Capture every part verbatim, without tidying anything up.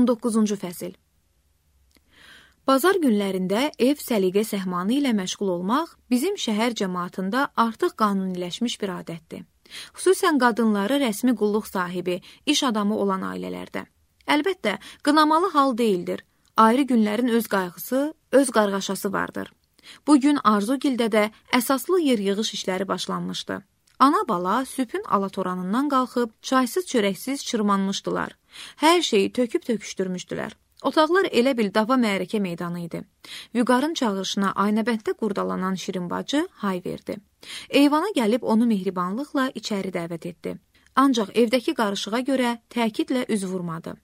on doqquzuncu fəsil. Bazar günlərində ev səliqə səhmanı ilə məşğul olmaq bizim şəhər cəmaatında artıq qanuniləşmiş bir adətdir. Xüsusən qadınları rəsmi qulluq sahibi, iş adamı olan ailələrdə. Əlbəttə, qınamalı hal deyildir. Ayrı günlərin öz qayğısı, öz qarğaşası vardır. Bugün Arzugildə də əsaslı yer-yığış işləri başlanmışdı. Ana-bala sübhün alatoranından qalxıb, çaysız çörəksiz çırmanmışdılar. Hər şeyi töküb töküşdürmüşdülər. Otaqlar elə bil dava mərəkə meydanı idi. Vüqarın çağırışına aynəbənddə qurdalanan Şirin bacı hay verdi. Eyvana gəlib onu mehribanlıqla içəri dəvət etdi. Ancaq evdəki qarışığa görə təkidlə üz vurmadı.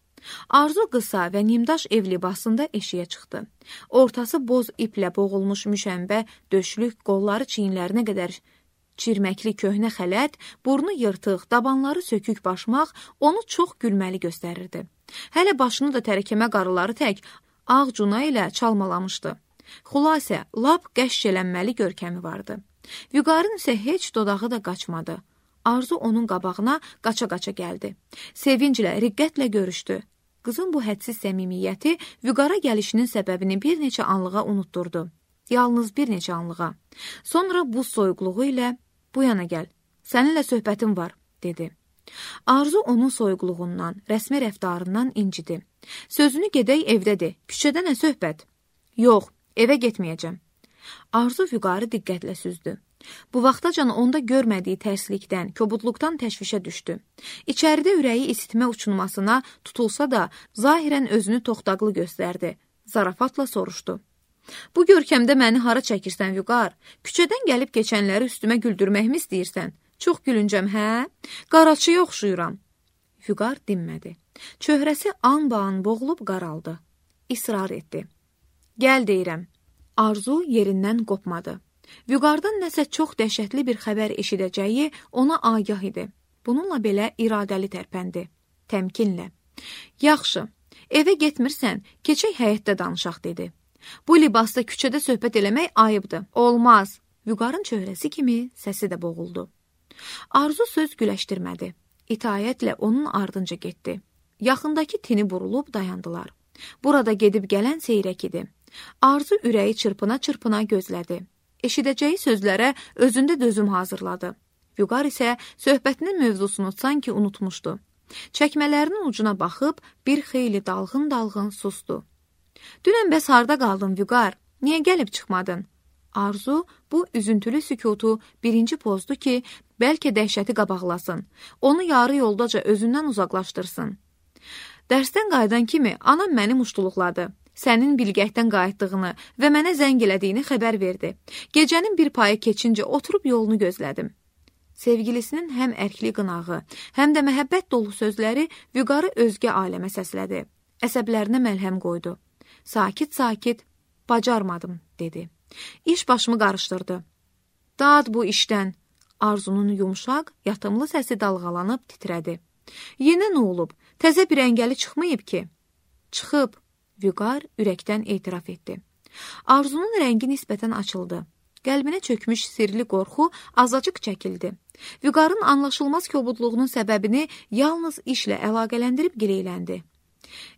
Arzu qısa və nimdaş ev libasında eşiyə çıxdı. Ortası boz iplə boğulmuş müşəmbə, döşlük, qolları çiyinlərinə qədər çirməkli köhnə xələt, burnu yırtıq, dabanları sökük başmaq onu çox gülməli göstərirdi. Hələ başını da tərəkəmə qarıları tək ağ cuna ilə çalmalamışdı. Xülasə, lap qəşşələnməli görkəmi vardı. Vüqarın isə heç dodağı da qaçmadı. Arzu onun qabağına qaça-qaça gəldi. Sevinclə, riqqətlə görüşdü. Qızın bu hədsiz səmimiyyəti Vüqara gəlişinin səbəbini bir neçə anlığa unutturdu. Yalnız bir neçə anlığa. Sonra bu soyuqluğu ilə bu yana gəl, səninlə söhbətim var, dedi. Arzu onun soyuqluğundan, rəsmi rəftarından incidi. Sözünü gedək evdədir, küçədə nə söhbət? Yox, evə getməyəcəm. Arzu Vüqarı diqqətlə süzdü. Bu vaxtacan onda görmədiyi tərslikdən, kobudluqdan təşvişə düşdü. İçəridə ürəyi isitmə uçunmasına tutulsa da, zahirən özünü toxtaqlı göstərdi. Zarafatla soruşdu. Bu görkəmdə məni hara çəkirsən, Vüqar? Küçədən gəlib keçənləri üstümə güldürməkmi istəyirsən? Çox gülüncəm, hə? Qaraçıya oxşuyuram. Vüqar dinmədi. Çöhrəsi an-ban boğulub qaraldı. İsrar etdi. Gəl deyirəm. Arzu yerindən qopmadı. Vüqardan nəsə çox dəhşətli bir xəbər eşidəcəyi ona agah idi. Bununla belə iradəli tərpəndi. Təmkinlə. Yaxşı, evə getmirsən, keçək həyətdə danışaq, dedi. Bu libasda küçədə söhbət eləmək ayıbdır. Olmaz. Vüqarın çöhrəsi kimi səsi də boğuldu. Arzu söz güləşdirmədi. İtaətlə onun ardınca getdi. Yaxındakı tini burulub dayandılar. Burada gedib gələn seyrək idi. Arzu ürəyi çırpına-çırpına gözlədi. Eşidəcəyi sözlərə özündə dözüm hazırladı. Vüqar isə söhbətinin mövzusunu sanki unutmuşdu. Çəkmələrinin ucuna baxıb bir xeyli dalğın-dalğın sustu. Dünən bəs harda qaldın, Vüqar? Niyə gəlib çıxmadın? Arzu bu üzüntülü sükutu birinci pozdu ki, bəlkə dəhşəti qabaqlasın. Onu yarı yoldaca özündən uzaqlaşdırsın. Dərsdən qayıdan kimi anam məni muştuluqladı. Sənin bilgəkdən qayıtdığını və mənə zəng elədiyini xəbər verdi. Gecənin bir payı keçincə oturub yolunu gözlədim. Sevgilisinin həm ərkli qınağı, həm də məhəbbət dolu sözləri Vüqarı özgə aləmə səslədi. Əsəblərinə məlhəm qoydu. Sakit-sakit, bacarmadım, dedi. İş başımı qarışdırdı. Dad bu işdən. Arzunun yumşaq, yatımlı səsi dalğalanıb titrədi. Yenə nə olub? Təzə bir əngəli çıxmayıb ki? Çıxıb, Vüqar ürəkdən etiraf etdi. Arzunun rəngi nisbətən açıldı. Qəlbinə çökmüş sirli qorxu azacıq çəkildi. Vüqarın anlaşılmaz kobudluğunun səbəbini yalnız işlə əlaqələndirib gileyləndi.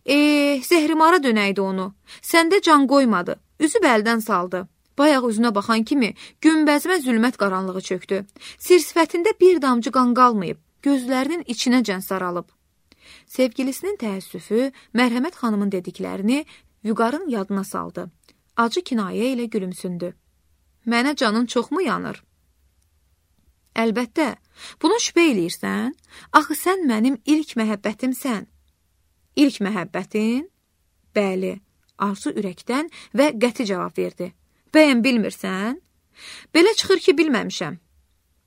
Eh, zəhrimara dönəydi onu. Səndə can qoymadı. Üzü bəldən saldı. Bayaq üzünə baxan kimi günbəzmə zülmət qaranlığı çöktü. Sir-sifətində bir damcı qan qalmayıb. Gözlərinin içinəcən saralıb. Sevgilisinin təəssüfü, Mərhəmət xanımın dediklərini Vüqarın yadına saldı. Acı kinayə ilə gülümsündü. Mənə canın çoxmu yanır? Əlbəttə, buna şübhə eləyirsən? Axı sən mənim ilk məhəbbətimsən. İlk məhəbbətin? Bəli, Arzu ürəkdən və qəti cavab verdi. Bəyən bilmirsən? Belə çıxır ki, bilməmişəm.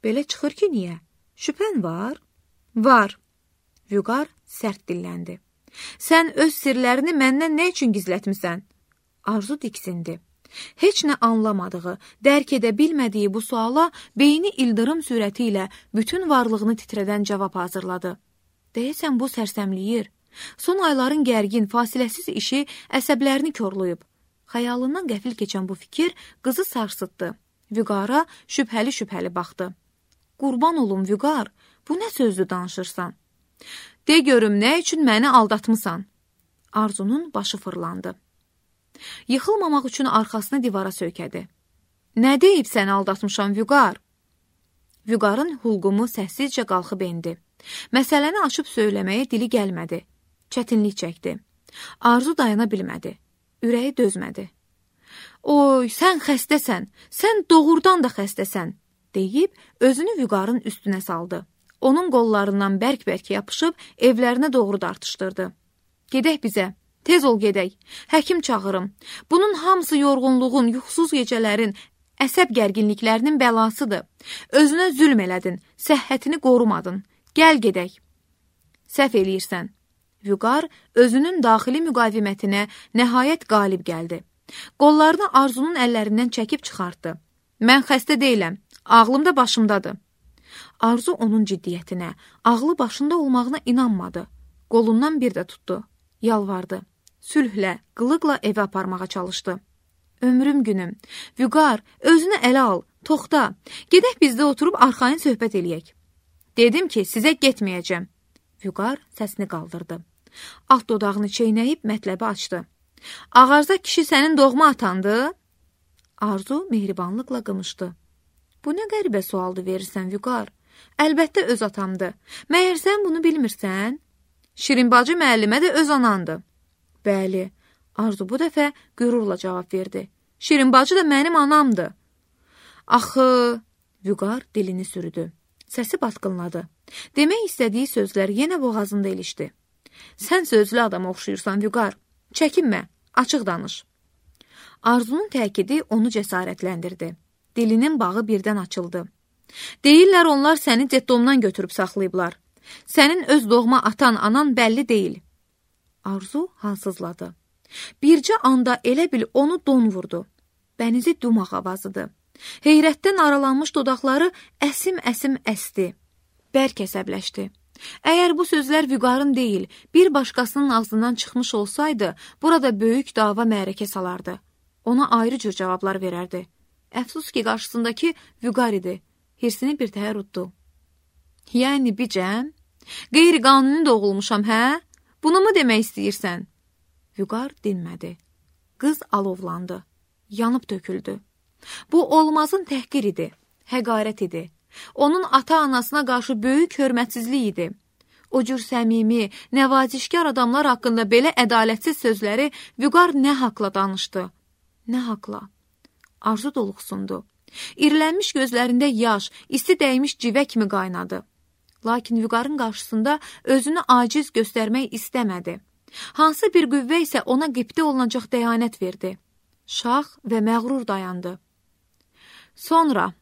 Belə çıxır ki, niyə? Şübhən var? Var. Vüqar sərt dilləndi. Sən öz sirlərini məndən nə üçün gizlətmisən? Arzu diksindi. Heç nə anlamadığı, dərk edə bilmədiyi bu suala beyni ildırım sürəti ilə bütün varlığını titrədən cavab hazırladı. Deyəsən bu sərsəmləyir. Son ayların gərgin, fasiləsiz işi əsəblərini korlayıb. Xəyalından qəfil keçən bu fikir qızı sarsıtdı. Vüqara şübhəli-şübhəli baxdı. Qurban olum, Vüqar, bu nə sözdür danışırsan? De görüm, nə üçün məni aldatmısan? Arzunun başı fırlandı. Yıxılmamaq üçün arxasını divara söykədi. Nə deyib səni aldatmışam, Vüqar? Vüqarın hulqumu səssizcə qalxıb endi. Məsələni açıb söyləməyə dili gəlmədi. Çətinlik çəkdi. Arzu dayana bilmədi. Ürəyi dözmədi. Oy, sən xəstəsən, sən doğrudan da xəstəsən, deyib özünü Vüqarın üstünə saldı. Onun qollarından bərk-bərk yapışıb evlərinə doğru dartışdırdı. Gedək bizə. Tez ol gedək, həkim çağırım. Bunun hamısı yorğunluğun, yuxusuz gecələrin, əsəb gərginliklərinin bəlasıdır. Özünə zülm elədin, səhhətini qorumadın. Gəl gedək. Səhv eləyirsən. Vüqar özünün daxili müqavimətinə nəhayət qalib gəldi. Qollarını Arzunun əllərindən çəkib çıxartdı. Mən xəstə deyiləm, ağlım da başımdadır. Arzu onun ciddiyyətinə, ağlı başında olmağına inanmadı. Qolundan bir də tutdu, yalvardı. Sülhlə, qılıqla evə aparmağa çalışdı. Ömrüm günüm, Vüqar, özünü ələ al, toxta, gedək bizdə oturub arxayın söhbət eləyək. Dedim ki, sizə getməyəcəm. Vüqar səsini qaldırdı. Alt dodağını çeynəyib mətləbi açdı. Ağarza kişi sənin doğma atandı? Arzu mehribanlıqla qımışdı. Bu nə qəribə sualdı verirsən, Vüqar? Əlbəttə öz atamdı. Məyər sən bunu bilmirsən? Şirin bacı müəllimə də öz anandı. Bəli, Arzu bu dəfə qürurla cavab verdi. Şirin bacı da mənim anamdı. Axı, Vüqar dilini sürüdü. Səsi batqınladı. Demək istədiyi sözlər yenə boğazında ilişdi. Sən sözlü adama oxşuyursan, Vüqar. Çəkinmə, açıq danış. Arzunun təkidi onu cəsarətləndirdi. Dilinin bağı birdən açıldı. Deyirlər onlar səni cetdomdan götürüb saxlayıblar. Sənin öz doğma atan, anan bəlli deyil. Arzu halsızladı. Bircə anda elə bil onu don vurdu. Bənizi dumaq avazıdır. Heyrətdən aralanmış dodaqları əsim-əsim əsdi. Bərk əsəbləşdi. Əgər bu sözlər Vüqarın deyil, bir başqasının ağzından çıxmış olsaydı, burada böyük dava mərəkə salardı. Ona ayrı cür cavablar verərdi. Əfsus ki, qarşısındakı Vüqar idi. Hirsini bir təhər utdu. Yəni bicəm? Qeyri-qanuni doğulmuşam, hə? Bunu mu demək istəyirsən? Vüqar dinmədi. Qız alovlandı. Yanıb töküldü. Bu olmazın təhqir idi, həqarət idi. Onun ata-anasına qarşı böyük hörmətsizlik idi. O cür səmimi, nəvazişkar adamlar haqqında belə ədalətsiz sözləri Vüqar nə haqla danışdı? Nə haqla? Arzu doluxsundu. İrlənmiş gözlərində yaş, isti dəymiş civə kimi qaynadı. Lakin Vüqarın qarşısında özünü aciz göstərmək istəmədi. Hansı bir qüvvə isə ona qibtə olunacaq dəyanət verdi. Şax və məğrur dayandı. Sonra,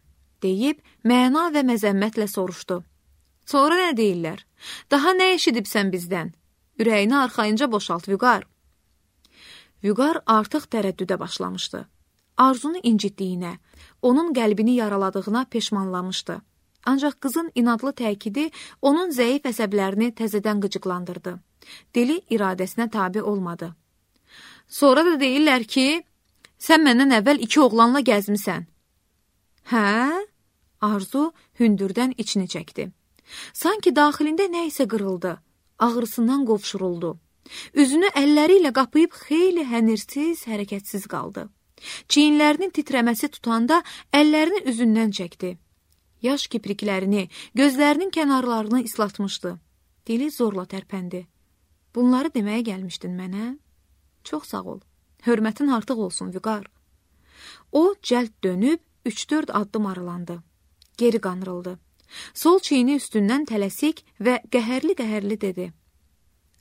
deyib, məna və məzəmmətlə soruşdu. Sonra nə deyirlər? Daha nə eşidibsən bizdən? Ürəyini arxayınca boşalt, Vüqar. Vüqar artıq tərəddüdə başlamışdı. Arzunu incitdiyinə, onun qəlbini yaraladığına peşmanlamışdı. Ancaq qızın inadlı təkidi onun zəif əsəblərini təzədən qıcıqlandırdı. Dili iradəsinə tabi olmadı. Sonra da deyirlər ki, sən məndən əvvəl iki oğlanla gəzmisən. Hə? Arzu hündürdən içini çəkdi. Sanki daxilində nə isə qırıldı, ağrısından qovşuruldu. Üzünü əlləri ilə qapıyıb xeyli hənirsiz, hərəkətsiz qaldı. Çiyinlərinin titrəməsi tutanda əllərini üzündən çəkdi. Yaş kipriklərini, gözlərinin kənarlarını islatmışdı. Dili zorla tərpəndi. Bunları deməyə gəlmişdin mənə? Çox sağ ol. Hörmətin artıq olsun, Vüqar. O cəld dönüb üç-dörd addım aralandı. Geri qanrıldı. Sol çiyini üstündən tələsik və qəhərli-qəhərli dedi.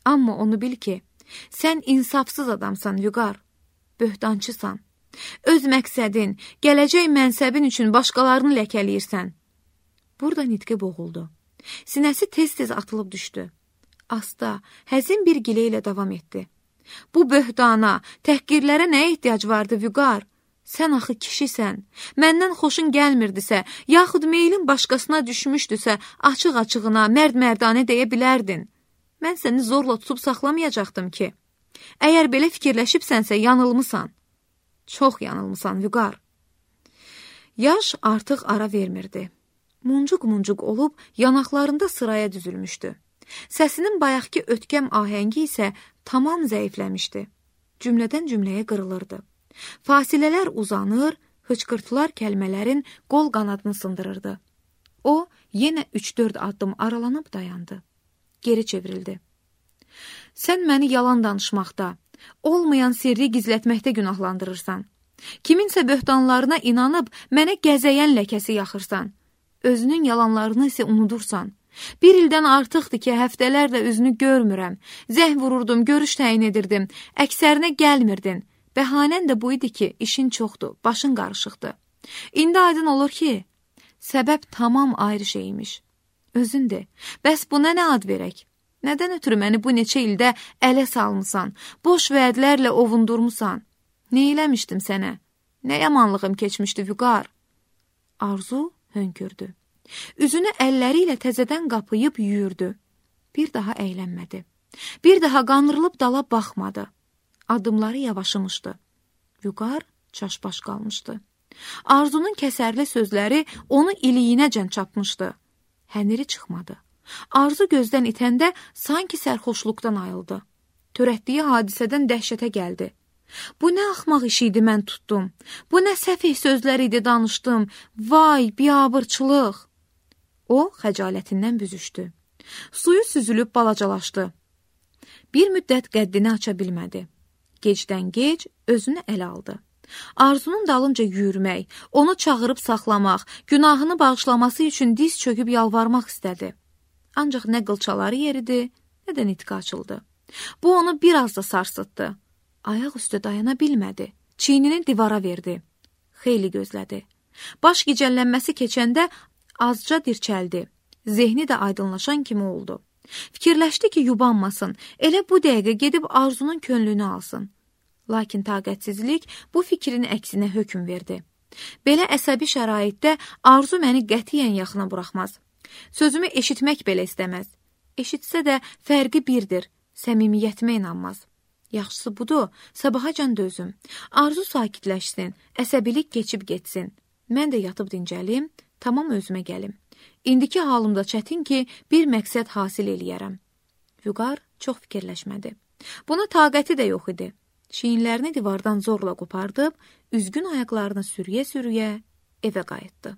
Amma onu bil ki, sən insafsız adamsan, Vüqar. Böhtançısan. Öz məqsədin, gələcək mənsəbin üçün başqalarını ləkələyirsən. Burada nitqi boğuldu. Sinəsi tez-tez atılıb düşdü. Asta, həzin bir gilə ilə davam etdi. Bu böhtana, təhqirlərə nəyə ehtiyac vardı, Vüqar? Sən axı kişisən, məndən xoşun gəlmirdisə, yaxud meylin başqasına düşmüşdüsə, açıq-açığına, mərd-mərdanə deyə bilərdin. Mən səni zorla tutub saxlamayacaqdım ki. Əgər belə fikirləşibsənsə, yanılmısan. Çox yanılmısan, Vüqar. Yaş artıq ara vermirdi. Muncuq-muncuq olub yanaqlarında sıraya düzülmüşdü. Səsinin bayaqki ötkəm ahəngi isə tamam zəifləmişdi. Cümlədən cümləyə qırılırdı. Fasilələr uzanır, hıçqırtılar kəlmələrin qol qanadını sındırırdı. O, yenə üç-dörd addım aralanıb dayandı. Geri çevrildi. Sən məni yalan danışmaqda, olmayan sirri gizlətməkdə günahlandırırsan. Kiminsə böhtanlarına inanıb mənə gəzəyən ləkəsi yaxırsan. Özünün yalanlarını isə unudursan. Bir ildən artıqdır ki, həftələrlə üzünü görmürəm. Zəng vururdum, görüş təyin edirdim. Əksərinə gəlmirdin. Bəhanən də bu idi ki, işin çoxdur, başın qarışıqdır. İndi aydın olur ki, səbəb tamam ayrı şeymiş. Özündür. Bəs buna nə ad verək? Nədən ötürü məni bu neçə ildə ələ salmısan, boş vədlərlə ovundurmusan? Nə eləmişdim sənə? Nə yamanlığım keçmişdi, Vüqar? Arzu hönkürdü. Üzünü əlləri ilə təzədən qapıyıb yüyürdü. Bir daha əylənmədi. Bir daha qanırılıb dala baxmadı. Adımları yavaşımışdı. Vüqar çaşbaş qalmışdı. Arzunun kəsərli sözləri onu iliyinəcən çapmışdı. Həniri çıxmadı. Arzu gözdən itəndə sanki sərxoşluqdan ayıldı. Törətdiyi hadisədən dəhşətə gəldi. Bu nə axmaq iş idi mən tutdum. Bu nə səfih sözlər idi danışdım. Vay, biabırçılıq. O, xəcalətindən büzüşdü. Suyu süzülüb balacalaşdı. Bir müddət qəddini aça bilmədi. Gecdən gec özünü ələ aldı. Arzunun dalınca yürümək, onu çağırıb saxlamaq, günahını bağışlaması üçün diz çöküb yalvarmaq istədi. Ancaq nə qılçaları yeridi, nə də nitqi açıldı. Bu onu biraz da sarsıtdı. Ayaq üstə dayana bilmədi. Çiynini divara verdi. Xeyli gözlədi. Baş gicəllənməsi keçəndə azca dirçəldi. Zehni də aydınlaşan kimi oldu. Fikirləşdi ki, yubanmasın, elə bu dəqiqə gedib Arzunun könlünü alsın. Lakin taqətsizlik bu fikrin əksinə hökm verdi. Belə əsəbi şəraitdə Arzu məni qətiyyən yaxına buraxmaz. Sözümü eşitmək belə istəməz. Eşitsə də fərqi birdir, səmimiyyətimə inanmaz. Yaxşısı budur, sabahacan dözüm. Arzu sakitləşsin, əsəbilik keçib getsin. Mən də yatıb dincəlim, tamam özümə gəlim. İndiki halımda çətin ki, bir məqsəd hasil eləyərəm. Vüqar çox fikirləşmədi. Buna taqəti də yox idi. Çiyinlərini divardan zorla qopardıb, üzgün ayaqlarını sürüyə-sürüyə evə qayıtdı.